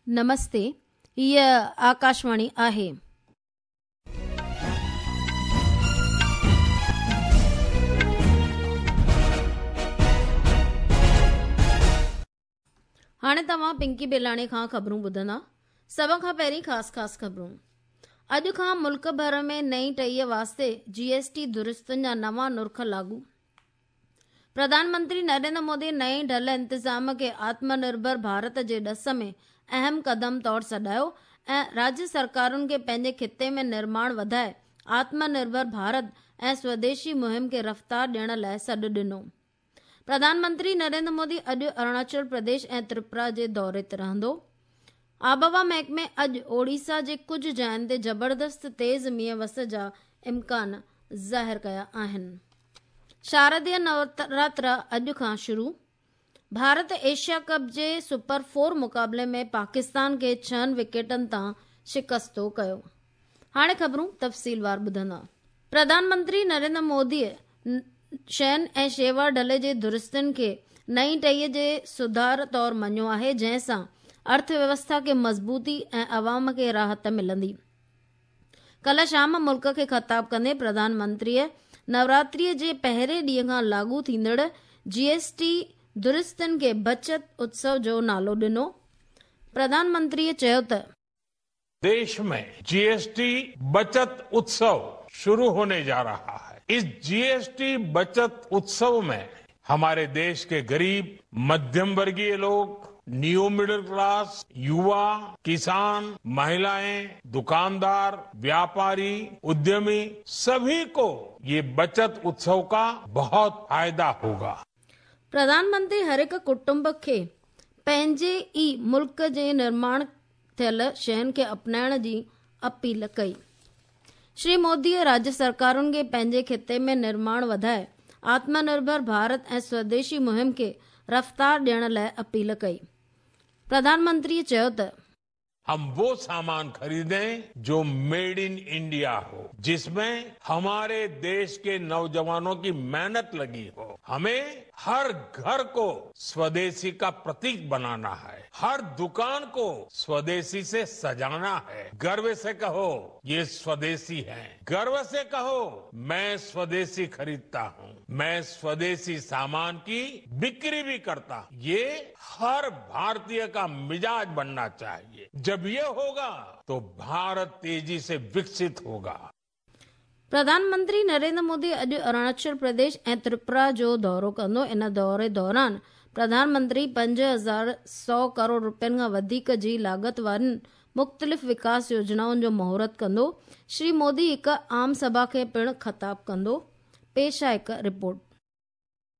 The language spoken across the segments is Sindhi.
نمستي، هيء آڪاشواڻي آهي. هاڻي توهان پنڪي بيلاڻي کان خبرون ٻڌندا. سڀ کان پهرين خاص خاص خبرون. اڄ کان ملڪ ڀر ۾ نئين ٽهيء واسطي جي ايس ٽي درستين جا نوان نرخ لاڳو. پرڌان منتري نريندر مودي نئين ڍل انتظام کي آتم نرڀر ڀارت جي ڏس ۾ اهم قدم طور سڏايو ۽ راجيه سرڪارن کي پنهنجي خطي ۾ نرماڻ وڌائي آتم نرڀر ڀارت ۽ سوديشي مهم کي رفتار ڏيڻ لاء سڏ ڏنو. پرڌان منتري نريندر مودي اڄ اروناچل پرديش ۽ تريپورا جي دوري تي رهندو. آبهوا محڪمي اڄ اوڙيسا جي ڪجهه جاين تي زبردست تيز مينهن وس جا امڪان ظاهر ڪيا آهن. شارديه نوراترا اڄ کان شروع. ڀارت ايشيا ڪپ جي سپر فور مقابلي ۾ پاڪستان کي ڇهن وڪيٽن تان شڪستو ڪيو. هاڻي خبرون تفصيلوار ٻڌندا. پرڌان منتري نريندر موديء شين ۽ شيوا ڍل جي درستين کي نئين ٽهيء جي سڌار طور مڃيو آهي، جنهن سان ارٿ ويوسٿا کي مضبوطي ۽ عوام کي راحت ملندي. ڪلهه شام ملڪ کي خطاب ڪندي پرڌان منتريء نوراتريء جي پهرين ڏينهن کان لاڳو ٿيندڙ جي ايس ٽي درستين کي بچت اتسو جو نالو ڏنو. پرڌان منتريء چيو ته. देश में जीएसटी बचत उत्सव शुरू होने जा रहा है। इस जीएसटी बचत उत्सव में हमारे देश के गरीब, मध्यम वर्गीय लोग, न्यू मिडिल क्लास, युवा, किसान, महिलाएं, दुकानदार, व्यापारी, उद्यमी सभी को ये बचत उत्सव का बहुत फायदा होगा। प्रधान मंत्री हर हिकु कुटुंब खे पंहिंजे ई मुल्क जे निर्माण ٿيل شين کي اپنائڻ جي اپيل ڪئي. شري موديء راجيه سرڪارن کي پنهنجي خطي ۾ نرماڻ وڌائي آتم نرڀر ڀارت ۽ سوديشي مهم کي رفتار ڏيڻ لاء اپيل ڪئي. پرڌان منتريء چيو ته. هم وو سامان خريدين جو ميڊ ان انڊيا هو، جس مين هماري ديش ڪي نوجوانون ڪي محنت لگي هو. همين هر گهر ڪو سوديشي ڪا پرتيڪ بنانا هي. हर दुकान को स्वदेशी से सजाना है। गर्व से कहो ये स्वदेशी है, गर्व से कहो मैं स्वदेशी खरीदता हूँ, मैं स्वदेशी सामान की बिक्री भी करता हूँ। ये हर भारतीय का मिजाज बनना चाहिए। जब ये होगा तो भारत तेजी से विकसित होगा। پرڌان منتري نريندر مودي اڄ اروناچل پرديش ۽ تريپورا جو دورو ڪندو. ان دوري دوران پرڌان منتري 5100 ڪروڙ رپين کان وڌيڪ جي لاڳت وارين مختلف وڪاس يوجنائن جو مهورت ڪندو. شري مودي هڪ عام سڀا کي پڻ خطاب ڪندو. پيش آهي هڪ رپورٽ.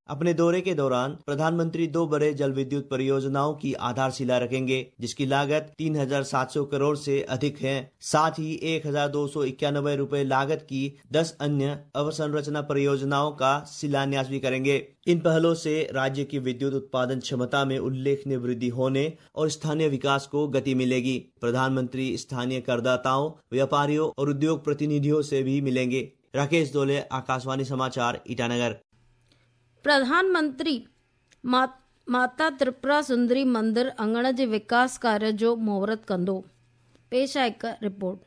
अपने दौरे के दौरान प्रधानमंत्री दो बड़े जल विद्युत परियोजनाओं की आधारशिला रखेंगे, जिसकी लागत 3,700 करोड़ से अधिक है। साथ ही 1,291 रुपए लागत की 10 अन्य अवसंरचना परियोजनाओं का शिलान्यास भी करेंगे। इन पहलों से राज्य की विद्युत उत्पादन क्षमता में उल्लेखनीय वृद्धि होने और स्थानीय विकास को गति मिलेगी। प्रधानमंत्री स्थानीय करदाताओं, व्यापारियों और उद्योग प्रतिनिधियों से भी मिलेंगे। राकेश दोले, आकाशवाणी समाचार, ईटानगर। پرڌان منتري ماتا ترپورا سندري مندر اڱڻ جي وڪاس ڪاريه جو مهورت ڪندو. پيش آهي هڪ رپورٽ.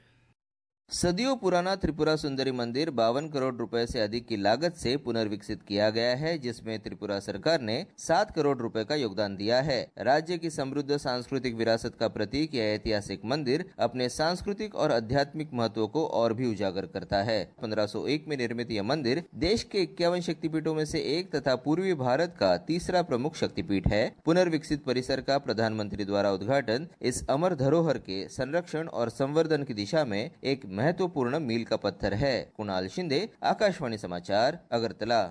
सदियों पुराना त्रिपुरा सुंदरी मंदिर 52 करोड़ रुपए से अधिक की लागत से पुनर्विकसित किया गया है, जिसमें त्रिपुरा सरकार ने 7 करोड़ रुपए का योगदान दिया है। राज्य की समृद्ध सांस्कृतिक विरासत का प्रतीक यह ऐतिहासिक मंदिर अपने सांस्कृतिक और आध्यात्मिक महत्व को और भी उजागर करता है। 1501 में निर्मित यह मंदिर देश के 51 शक्तिपीठों में से एक तथा पूर्वी भारत का तीसरा प्रमुख शक्तिपीठ है। पुनर्विकसित परिसर का प्रधानमंत्री द्वारा उद्घाटन इस अमर धरोहर के संरक्षण और संवर्धन की दिशा में एक महत्वपूर्ण मील का पत्थर है। कुणाल शिंदे, आकाशवाणी समाचार, अगरतला।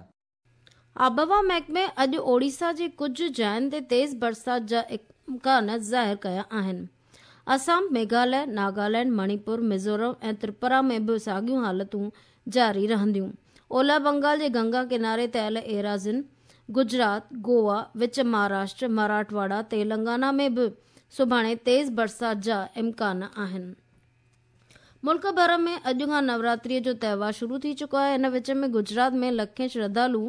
आबहवा महڪمي اڄ اوڙيسا جي ڪجهه جاين تي تيز برسات جا امڪان ظاهر ڪيا آهن. آسام، ميگهاليه، ناگالينڊ، مڻيپور، ميزورم ۽ تريپورا ۾ به ساڳيون حالتون جاري رهنديون. اولهه بنگال جي گنگا ڪناري تي آيل ايراضين، گجرات، گوا، وچ مهاراشٽر، مراٺواڙا، تيلنگانا ۾ به سڀاڻي تيز برسات جا امڪان آهن. ملڪ ڀر ۾ اڄ کان نوراتريء جو تهوار شروع ٿي چڪو آهي. ان وچ ۾ گجرات ۾ لکين شرڌالو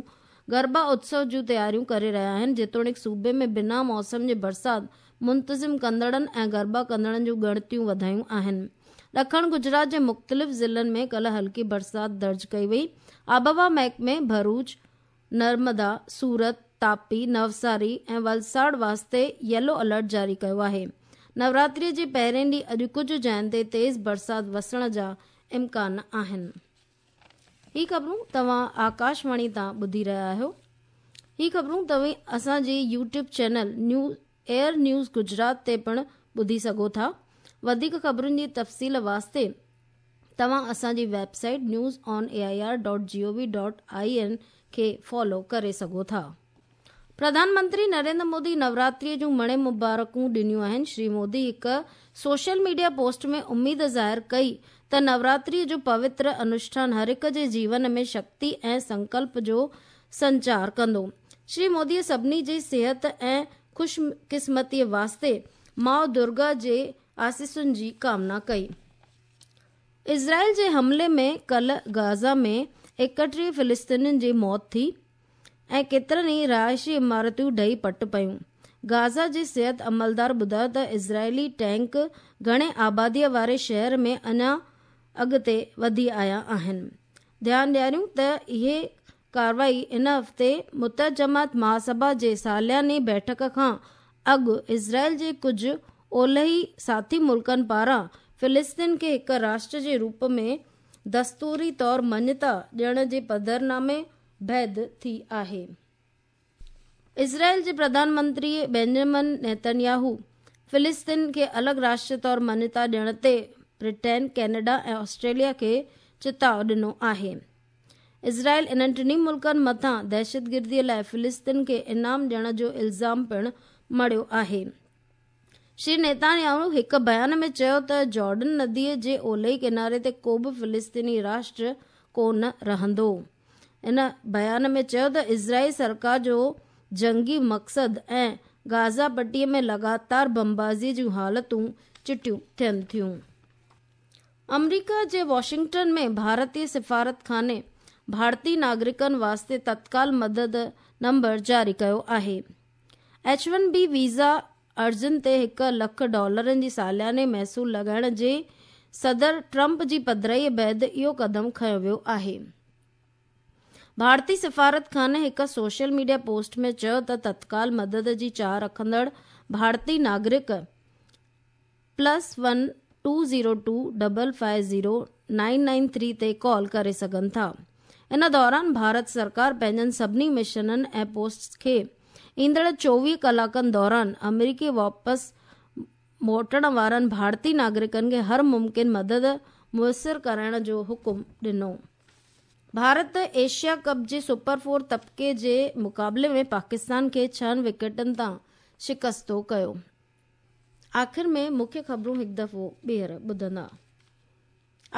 گربا اتسو جون تياريون ڪري رهيا آهن. جيتوڻيڪ صوبي ۾ بنا موسم جي برسات منتظم ڪندڙن ۽ گربا ڪندڙن جون ڳڻتيون وڌايون آهن. ڏکڻ گجرات جي مختلف ضلعن ۾ ڪالهه هلڪي برسات درج ڪئي وئي. آبهوا محڪمي ڀروچ، نرمدا، سورت، تاپي، نوساري ۽ ولساڙ واسطي يلو الرٽ جاري ڪيو آهي. نوراتري جي پهرين ڏينهن اڄ ڪجهه جاين تي تيز برسات وسڻ جا امڪان آهن. هي خبرون توهان آڪاشواڻي تان ٻڌي رهيا آهيو. هي خبرون توهين اسان جي YouTube channel news AIR news Gujarat تي پڻ ٻڌي سگهو ٿا. وڌيڪ خبرن جي تفصيل واسطي توهان اسان جي website news on A I R dot G O V dot I N کي فالو ڪري سگهو ٿا. پرڌان منتري نريندر مودي نوراتري جون مڻي مبارڪون ڏنيون آهن. شري مودي هڪ سوشل ميڊيا پوسٽ ۾ اميد ظاهر ڪئي ته نوراتري جو پوتر انوشٺان هر هڪ جي جيون ۾ شڪتي ۽ سنڪلپ جو سنچار ڪندو. شري مودي سڀني جي صحت ۽ خوش قسمتي واسطي ماء درگا جي آسيسن جي ڪامنا ڪئي. اسرائيل جي حملي ۾ ڪالهه غزه ۾ 31 فلسطينين جي موت ٿي ۽ ڪيترن ئي رهائشي عمارتون ڊهي پٽ پيون. غزه جي صحت عملدار ٻڌايو ته اسرائيلي ٽينڪ گهڻي آباديء واري شهر ۾ اڃا اڳتي وڌي آيا آهن. ڌيان ڏياريون ته اهي ڪارروائي ان هفتي متحده جماعت مهاسڀا جي سالياني بيٺڪ کان اڳ اسرائيل جي ڪجهه اولهي ساٿي ملڪن پاران فلسطين کي هڪ راشٽر جي روپ ۾ دستوري طور مڃتا ڏيڻ جي پڌرنامي بعد ٿي آهي. اسرائيل جي پرڌان منتري بينجمن نيتنياهو فلسطين کي الڳ راشٽر طور مڃتا ڏيڻ تي برٽين، ڪينيڊا ۽ آسٽريليا کي چتاء ڏنو آهي. اسرائيل انهن ٽنهي ملڪن مٿان دهشتگردي لاء فلسطين کي انعام ڏيڻ جو الزام پڻ مڙهيو آهي. شري نيتنياهو هڪ بيان ۾ چيو ته جارڊن نديء جي اولهي ڪناري تي ڪو به فلسطيني راشٽر ڪونه رهندو. ان بيان ۾ چيو ته اسرائيل سرڪار جو جنگي مقصد ۽ غزه پٽي ۾ لڳاتار بمبازي جون حالتون چٽيون ٿين ٿيون. آمريڪا جي واشنگٽن ۾ ڀارتي سفارتخاني ڀارتي ناگرڪن واسطي تتڪال مدد نمبر جاري ڪيو آهي. ايڇ ون بي ويزا عرضين تي 1 لک ڊالرن جي سالياني محصول لڳائڻ جي صدر ٽرمپ جي پڌرائي بعد اهو قدم کنيو ويو آهي. ڀارتي سفارتخاني هڪ سوشل ميڊيا پوسٽ ۾ چيو ته تتڪال مدد جي چاهه رکندڙ ڀارتي ناگرڪ +1 202 550 993 تي ڪال ڪري سگهن ٿا. ان دوران ڀارت سرڪار پنهنجن سڀني مشنن ۽ پوسٽس کي ايندڙ 24 ڪلاڪن دوران آمريڪي واپس موٽڻ وارن ڀارتي ناگرڪن کي هر ممڪن مدد ميسر ڪرائڻ جو حڪم ڏنو. ڀارت ايشيا ڪپ جي سپر فور طبقي جي مقابلي ۾ پاڪستان کي 6 وڪيٽن تان شڪستو ڪيو. آخر ۾ مکيه خبرون هڪ دفعو ٻيهر ٻڌندا.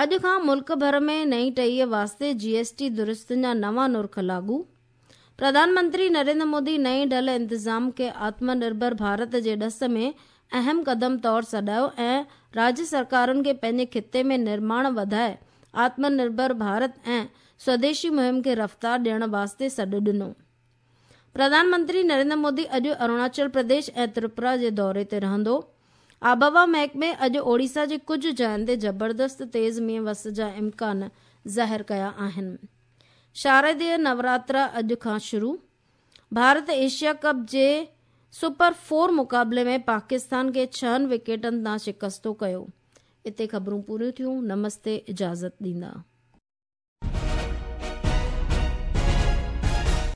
اڄ کان ملڪ ڀر ۾ نئين ٽهيء واسطي جي ايس ٽي درستين جا نوان نرخ لاڳو. پرڌان منتري نريندر مودي نئين ڍل انتظام کي آتم نرڀر ڀارت جي ڏس ۾ اهم قدم طور سڏايو ۽ راجيه سرڪارن کي پنهنجي خطي ۾ نرماڻ وڌائي آتم نرڀر ڀارت ۽ سوديشي مهم کي رفتار ڏيڻ واسطي سڏ ڏنو. پرڌان منتري نريندر مودي اڄ اروناچل پرديش ۽ تريپورا جي دوري تي رهندو. آبهوا محڪمي اڄ اوڙيسا جي ڪجهه جاين تي زبردست تيز مينهن وس جا امڪان ظاهر ڪيا آهن. شارديه نوراترا اڄ کان شروع. ڀارت ايشيا ڪپ جي سپر فور مقابلي ۾ پاڪستان کي 6 وڪيٽن تان شڪستو ڪيو. اتي خبرون پوريون ٿيون. نمستي، اجازت ڏيندا.